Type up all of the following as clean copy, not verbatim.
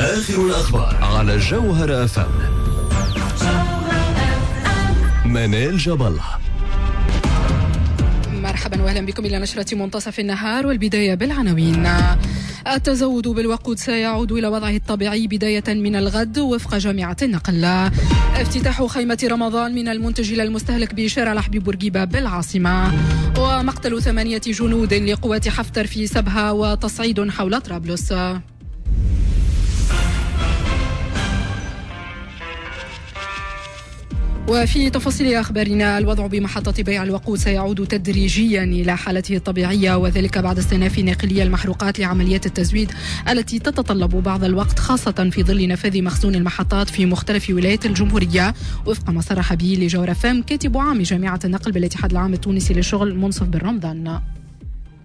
آخر الأخبار على جوهرة أف أم. منال جبل. مرحبا واهلا بكم الى نشرة منتصف النهار، والبداية بالعناوين. التزود بالوقود سيعود الى وضعه الطبيعي بداية من الغد وفق جامعة النقل. افتتاح خيمة رمضان من المنتج الى المستهلك بشارع الحبيب بورقيبة بالعاصمة. ومقتل 8 جنود لقوات حفتر في سبها وتصعيد حول طرابلس. وفي تفاصيل أخبارنا، الوضع بمحطة بيع الوقود سيعود تدريجيا إلى حالته الطبيعية، وذلك بعد استئناف ناقلي المحروقات لعمليات التزويد التي تتطلب بعض الوقت، خاصة في ظل نفاذ مخزون المحطات في مختلف ولايات الجمهورية، وفق ما صرح به لجوهرة فام كاتب عام جامعة النقل بالاتحاد العام التونسي للشغل منصف بن رمضان.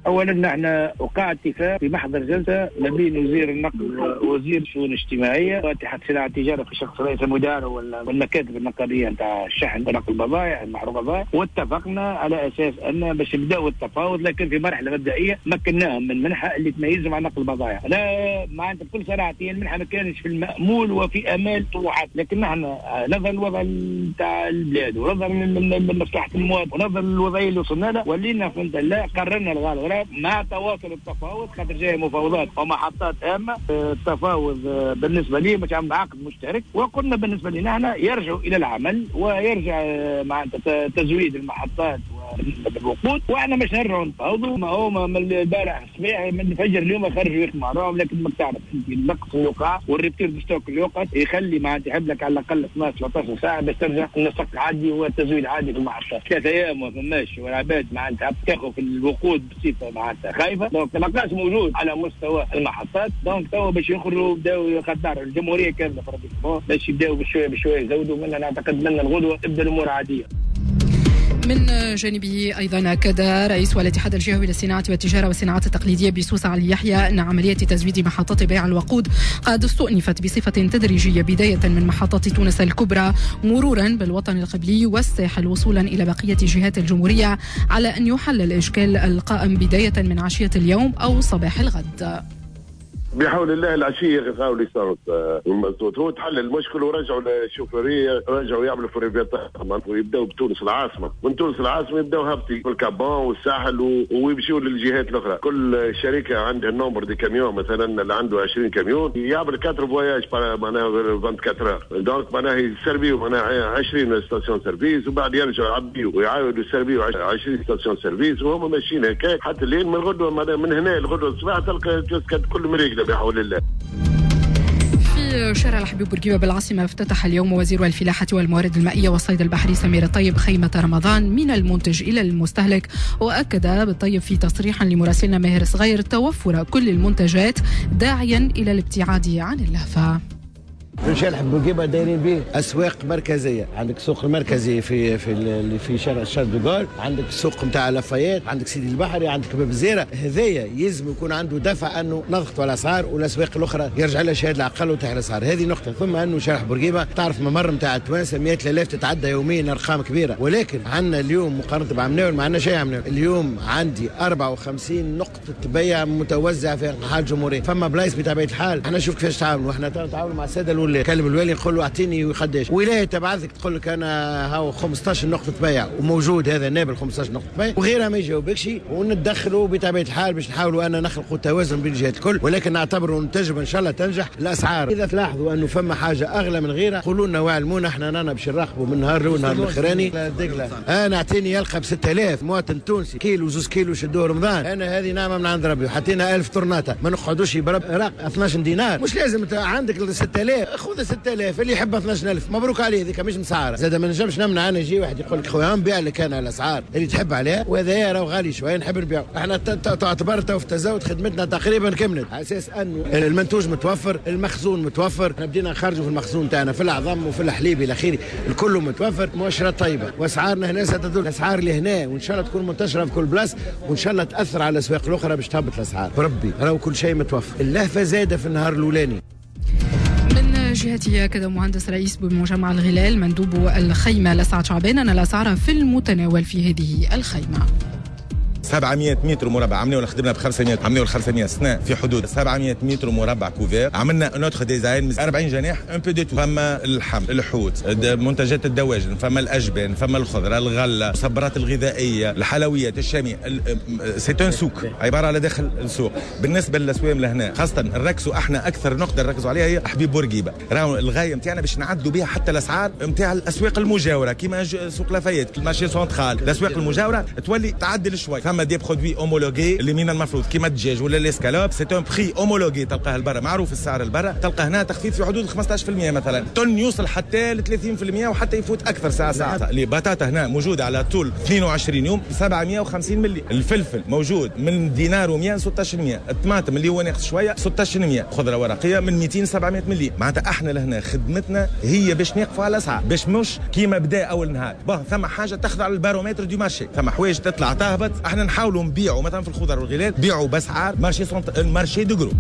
اولا نحن وقع اتفاق في محضر جلسه ما بين وزير النقل ووزير الشؤون الاجتماعية واتحاد صناعة التجارة في شخص رئيس المدار والمكاتب النقابيه نتاع الشحن ونقل البضائع المحروقات، واتفقنا على اساس ان باش نبداو التفاوض، لكن في مرحلة مبدئية مكناهم من منحه اللي تميزهم عن نقل البضائع. لا معناتها بكل صراحة هي المنحة ما كانش في المامول وفي امال طموحات، لكن نحن نظرا للوضع نتاع البلاد ونظرا لمصلحة المواطن ونظرا للوضعيه اللي وصلنا لها، ولينا فهمت لا قررنا الغالي مع تواصل التفاوض، خاطر جاي مفاوضات ومحطات هامة. التفاوض بالنسبة لي مش عم عقد مشترك، وقلنا بالنسبة لنا احنا يرجعوا الى العمل ويرجع مع تزويد المحطات بالوقود، واحنا مش نرجعوا نتفاوضوا. ما هو من البارح الصباح من الفجر اليوم خرجوا يخدموا عليهم، لكن ما تعرف انت النقص اللي وقع وال rupture de stock اللي وقعت يخلي معناتها يحب لك على الاقل 12 13 ساعة باش ترجع النسق عادي والتزويد عادي في المحطات. 3 ايام ما فماش، والعباد معناتها تاخذ في الوقود بصفة معناتها خايفة، donc ما موجود على مستوى المحطات. donc توا باش يخرجوا بداو خاطر الجمهورية كاملة باش يبداو بشوية بشوية يزودوا منا، نعتقد منا الغدوه تبدا الامور عادية. من جانبه أيضا أكد رئيس الاتحاد الجهوي للصناعة والتجارة والصناعات التقليدية بسوسة علي يحيى أن عملية تزويد محطات بيع الوقود قد استؤنفت بصفة تدريجية، بداية من محطات تونس الكبرى مرورا بالوطن القبلي والساحل وصولا إلى بقية جهات الجمهورية، على أن يحل الإشكال القائم بداية من عشية اليوم أو صباح الغد. بحول الله العشية غاو l'essence المازوت هو تحل المشكل، ورجعوا الشوفيريه رجعوا يعملوا في ravitaillement ويبداو بتونس العاصمة، من تونس العاصمة يبداو هابطين في ال Cap Bon والساحل ويمشيوا للجهات الاخرى. كل شركة عندها nombre de camions، مثلا اللي عنده 20 كاميون يعمل 4 voyages معناها 24 heures، donc معناها يسربيو معناها 20 station-service، وبعد يرجعوا يعبيو ويعاودوا يسربيو 20 station-service، وهم ماشيين هكا حتى لين من غدوه معناها من هنا لغدوه الصباح تلقى كل مريقله بحول الله. في شارع الحبيب بورقيبة بالعاصمة افتتح اليوم وزير الفلاحة والموارد المائية والصيد البحري سمير الطيب خيمة رمضان من المنتج إلى المستهلك، وأكد بالطيب في تصريح لمراسلنا ماهر صغير توفر كل المنتجات، داعيا إلى الابتعاد عن اللهفة. في شارع بورقيبة دايرين به اسواق مركزية، عندك السوق المركزي في في في شارع شارل دوغول، عندك السوق نتاع لافايات، عندك سيدي البحري، عندك باب الزيره. هذايا يلزم يكون عنده دفع انه نضغطوا على الاسعار، والاسواق الاخرى يرجع لها شهادة العقل وتحت الاسعار. هذه نقطة. ثم انه شارع بورقيبة تعرف ممر نتاع التوانسة 100,000 تتعدى يوميا، ارقام كبيرة، ولكن عندنا اليوم مقارنة بعمناول ما عندنا شيء. عمناول اليوم عندي 54 نقطة بيع متوزعة في انحاء الجمهورية، فما بلايص بطبيعة الحال. احنا نشوف كيفاش تعاونوا، احنا نتعاونوا مع السادة الولاة، كلم الوالي نقول له اعطيني قداش ولاية تبعثك تقول لك انا هاو 15 نقطة بيع وموجود هذا نابل 15 نقطة بيع وغيرها ما يجاوبكش، ونتدخلوا بطبيعة الحال باش نحاولوا ان نخلقوا توازن بين الجهات الكل، ولكن نعتبروا ان التجربة ان شاء الله تنجح. الاسعار اذا تلاحظوا انه فما حاجة اغلى من غيرها قولوا لنا واعلمونا، احنا رانا باش نراقبوا من نهار الاول نهار الاخراني. انا اعطيني يلقى ب 6000 مواطن تونسي كيلو 2 كيلو شدوه رمضان، انا هذه نعمه من عند ربي، وحطينا 1000 طرناطه ما نقعدوش برب 12 دينار، مش لازم عندك 6000 خذ 6000 اللي يحب 12000 مبروك عليه، هذيك مش مسعره. زاد ما نجمش نمنع انا يجي واحد يقول لك خويا نبيع لك انا الاسعار اللي تحب عليها، وهذا راهو غالي شوية نحب نبيعه. احنا تعتبر تو في التزود خدمتنا تقريبا كملت، على اساس انه المنتوج متوفر، المخزون متوفر، احنا بدينا نخرجوا في المخزون تاعنا في العظم وفي الحليب الى اخره، الكل متوفر، مؤشرات طيبة، واسعارنا هنا ستدل الاسعار اللي هنا، وان شاء الله تكون منتشرة في كل بلاصة، وان شاء الله تاثر على الاسواق الاخرى باش تهبط الاسعار. بربي راهو كل شيء متوفر، اللهفه زايدة في النهار الاولاني. من جهته أكد مهندس رئيس بمجمع الغلال مندوب الخيمة لسعد شعبان أن الأسعار في المتناول في هذه الخيمة. 700 متر مربع، عملنا خدمنا ب 500، عملنا 500 سنة في حدود 700 متر مربع couvert. عملنا un autre design، 40 جناح، un peu de tout. فما اللحم، الحوت، منتجات الدواجن، فما الاجبان، فما الخضره، الغله، الصبرات الغذائيه، الحلويات الشاميه. c'est un souk عبارة على داخل السوق. بالنسبة للاسوام لهنا خاصة نركزوا احنا اكثر نقطة نركزوا عليها هي حبيب بورقيبه. راهو الغاية نتاعنا باش نعدلوا بها حتى الاسعار نتاع الاسواق المجاورة كيما سوق لافايت، ال marché central، الاسواق المجاورة تولي تعدل شوي. فما des produits homologués اللي من المفروض كيما الدجاج ولا l'escalope، c'est un prix homologué تلقاه البرا، معروف السعر البرا، تلقى هنا تخفيض في حدود 15% مثلا، thon يوصل حتى ل 30% وحتى يفوت اكثر ساعة ساعة. البطاطا هنا موجودة على طول 22 يوم 750 ملي، الفلفل موجود من دينار و100 1600، الطماطم اللي هو ناقص شوية 1600، خضرة ورقية من 200 700 ملي. معناتها احنا لهنا خدمتنا هي باش نقفوا على الاسعار، باش مش كيما بدا اول نهار. bon ثم حاجة تخضع لل baromètre du marché، ثم حوايج تطلع تهبط، احنا نحاولوا نبيعوا مثلا في الخضر والغلال بيعوا باسعار marché ال marché de gros.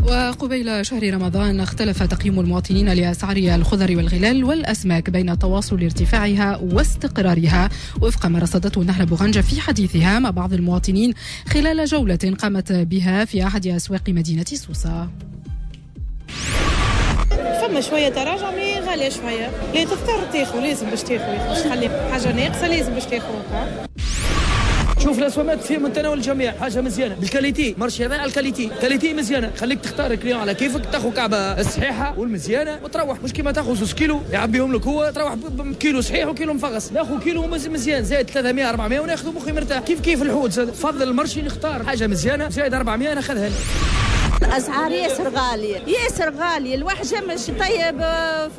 وقبيل شهر رمضان اختلف تقييم المواطنين لأسعار الخضر والغلال والأسماك بين تواصل ارتفاعها واستقرارها، وفق ما رصدته نهر بوغنجة في حديثها مع بعض المواطنين خلال جولة قامت بها في أحد أسواق مدينة سوسة. فما شوية تراجع mais غالية شوية، لا تضطر تاخذ، لازم باش تاخذ، باش تخلي حاجة ناقصة لازم باش تاخذ. شوف الاسوامات في متناول الجميع، حاجة مزيانه بال qualité، marché هذا على ال qualité، qualité مزيانه، خليك تختار ال client على كيفك، تاخذ كعبه الصحيحة والمزيانه وتروح، مش كيما تاخذ 2 كيلو يعبيهم لك هو، تروح بكيلو صحيح وكيلو مفغص، ناخذ كيلو مزيان زايد 300 400 وناخذ مخي مرتاح. كيف كيف الحوت فضل ال marché نختار حاجة مزيانه زايد 400 ناخذها. الاسعار ياسر غالية، ياسر غالية، الواحد مش طيب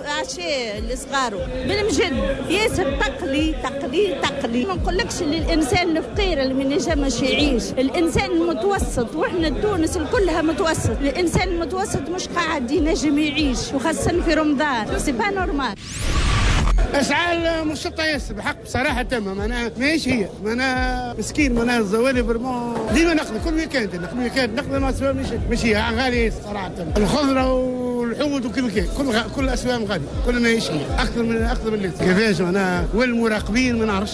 عشاء لصغارو بالمجد، ياسر تقلي تقلي تقلي. ما نقولكش اللي الانسان الفقير اللي ما ينجمش يعيش، الانسان المتوسط، واحنا تونس كلها متوسط، الانسان المتوسط مش قاعد ينجم يعيش، وخاصة في رمضان، c'est pas normal. اسعار مشطه ياسر بحق بصراحة تمام، معناها ماهيش هي، معناها مسكين، معناها الزوالي vraiment ديما نقضي كل week-end، نقضي week-end نقضي مع الاسواق مش هي غالية صراحة. الخضرة والحوت وكل كل الاسواق غالية، كل ماهيش هي، اكثر من اللي كيفاش معناها، والمراقبين ما نعرفش.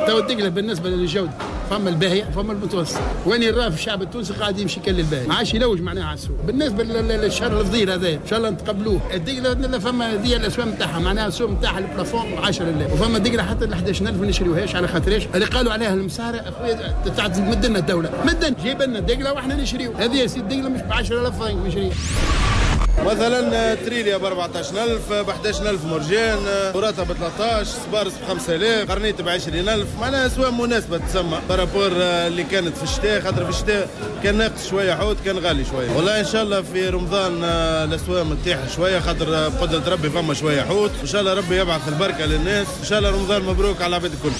تو الدقله بالنسبة للجودة فما الباهيه فما المتوسط، وين الراف الشعب التونسي قاعد يمشي كل الباهي، ما عادش يلوج معناها على السوق. بالنسبة للشهر الفضيل هذا ان شاء الله نتقبلوه. الدقله فما هذه الاسواق نتاعها، معناها السوق نتاعها ال plafond 10000، وفما دقله حتى ل 11000 ما نشريوهاش على خاطرش اللي قالوا عليها المسارة اخويا تمدنا الدولة، مدن جيب لنا الدقله واحنا نشريو. هذه يا سيدي الدقله مش ب 10000 فرنك نشريها. مثلا تريليا ب 14000، ب 11000 مرجان، وراثه ب 13، سبارس ب 5000، قرنيت ب 20000، معناها اسواق مناسبة تسمى par rapport اللي كانت في الشتاء، خاطر في الشتاء كان ناقص شوية حوت، كان غالي شوية. والله ان شاء الله في رمضان الاسواق تطيح شوية، خاطر بقدره ربي فما شوية حوت، ان شاء الله ربي يبعث البركة للناس، ان شاء الله رمضان مبروك على العباد الكل.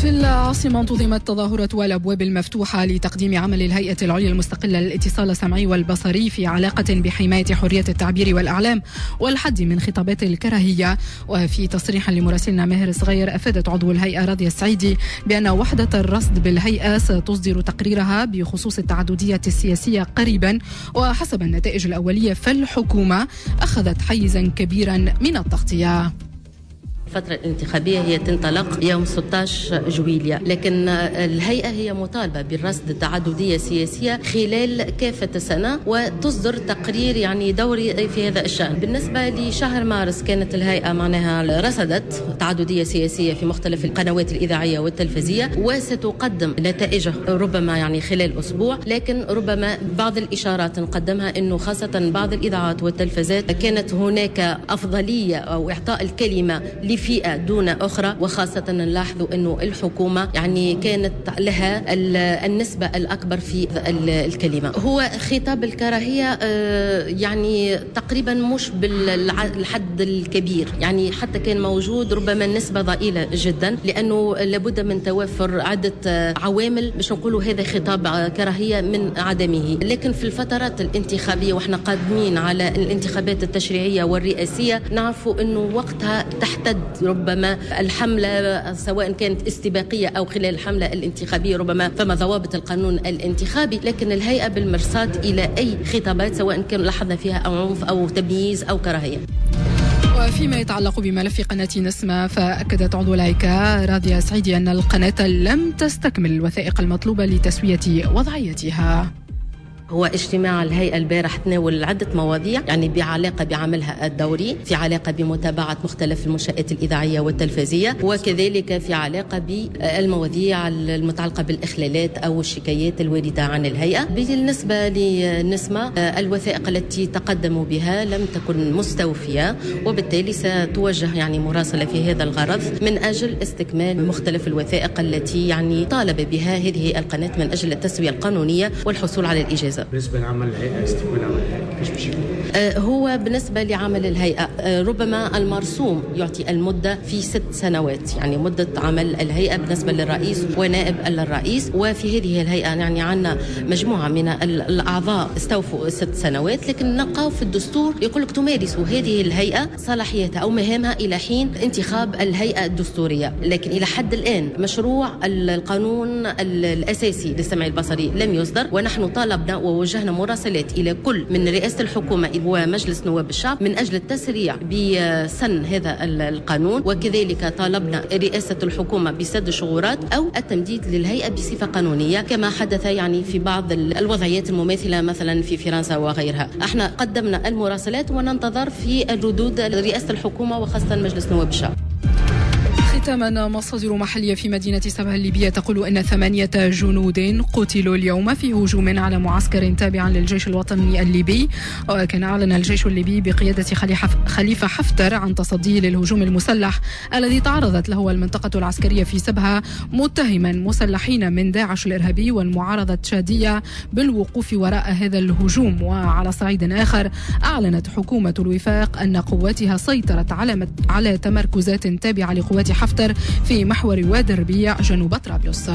في العاصمة انتظمت تظاهرة الأبواب المفتوحة لتقديم عمل الهيئة العليا المستقلة للاتصال السمعي والبصري في علاقة بحماية حرية التعبير والإعلام والحد من خطابات الكراهية. وفي تصريح لمراسلنا ماهر الصغير أفادت عضو الهيئة راضية السعيدي بأن وحدة الرصد بالهيئة ستصدر تقريرها بخصوص التعددية السياسية قريبا، وحسب النتائج الأولية فالحكومة أخذت حيزا كبيرا من التغطية. الفترة الانتخابية هي تنطلق يوم 16 جويلية، لكن الهيئة هي مطالبة بالرصد التعددية السياسية خلال كافة السنة وتصدر تقرير يعني دوري في هذا الشأن. بالنسبة لشهر مارس كانت الهيئة معناها رصدت تعددية سياسية في مختلف القنوات الإذاعية والتلفزية، وستقدم نتائجه ربما يعني خلال أسبوع، لكن ربما بعض الإشارات نقدمها أنه خاصة بعض الإذاعات والتلفزات كانت هناك أفضلية أو إعطاء الكلمة لفئة دون أخرى، وخاصة نلاحظ أنه الحكومة يعني كانت لها النسبة الأكبر في الكلمة. هو خطاب الكراهية يعني تقريبا مش بالحد الكبير، يعني حتى كان موجود ربما النسبة ضئيلة جدا، لأنه لابد من توفر عدة عوامل باش نقولوا هذا خطاب كراهية من عدمه. لكن في الفترات الانتخابية واحنا قادمين على الانتخابات التشريعية والرئاسية نعرفوا أنه وقتها تحتد ربما الحملة سواء كانت استباقية أو خلال الحملة الانتخابية، ربما فما ضوابط القانون الانتخابي، لكن الهيئة بالمرصاد إلى أي خطابات سواء كان لاحظنا فيها أو عنف أو تمييز أو كراهية. وفيما يتعلق بملف قناة نسمة، فأكدت عضو الهيئة راضية سعيدي أن القناة لم تستكمل الوثائق المطلوبة لتسوية وضعيتها. هو اجتماع الهيئة البارح تناول عدة مواضيع، يعني بعلاقة بعملها الدوري، في علاقة بمتابعة مختلف المنشآت الإذاعية والتلفزية، وكذلك في علاقة بالمواضيع المتعلقة بالإخلالات أو الشكايات الواردة عن الهيئة. بالنسبة لنسمة، الوثائق التي تقدموا بها لم تكن مستوفية، وبالتالي ستوجه يعني مراسلة في هذا الغرض من أجل استكمال مختلف الوثائق التي يعني طالب بها هذه القناة من أجل التسوية القانونية والحصول على الإجازة. بالنسبة لعمل الهيئة، استكمال عمل الهيئة كيفاش باش يكون؟ هو بالنسبة لعمل الهيئة ربما المرسوم يعطي المدة في 6 سنوات، يعني مدة عمل الهيئة بالنسبة للرئيس ونائب الرئيس. وفي هذه الهيئة يعني عندنا مجموعة من الأعضاء استوفوا 6 سنوات، لكن نلقاو في الدستور يقول لك تمارس هذه الهيئة صلاحيتها أو مهامها إلى حين انتخاب الهيئة الدستورية. لكن إلى حد الآن مشروع القانون الأساسي للسمع البصري لم يصدر، ونحن طالبنا ووجهنا مراسلات إلى كل من رئاسة الحكومة ومجلس نواب الشعب من أجل التسريع بسن هذا القانون، وكذلك طالبنا رئاسة الحكومة بسد الشغورات أو التمديد للهيئة بصفة قانونية كما حدث يعني في بعض الوضعيات المماثلة مثلا في فرنسا وغيرها. احنا قدمنا المراسلات وننتظر في الردود رئاسة الحكومة وخاصة مجلس نواب الشعب. ختاما، مصادر محلية في مدينة سبها الليبية تقول أن 8 جنود قتلوا اليوم في هجوم على معسكر تابع للجيش الوطني الليبي. وكان أعلن الجيش الليبي بقيادة خليفة حفتر عن تصديه للهجوم المسلح الذي تعرضت له المنطقة العسكرية في سبها، متهما مسلحين من داعش الإرهابي والمعارضة التشادية بالوقوف وراء هذا الهجوم. وعلى صعيد آخر، أعلنت حكومة الوفاق أن قواتها سيطرت على تمركزات تابعة لقوات حفتر في محور وادي الربيع جنوب طرابلس.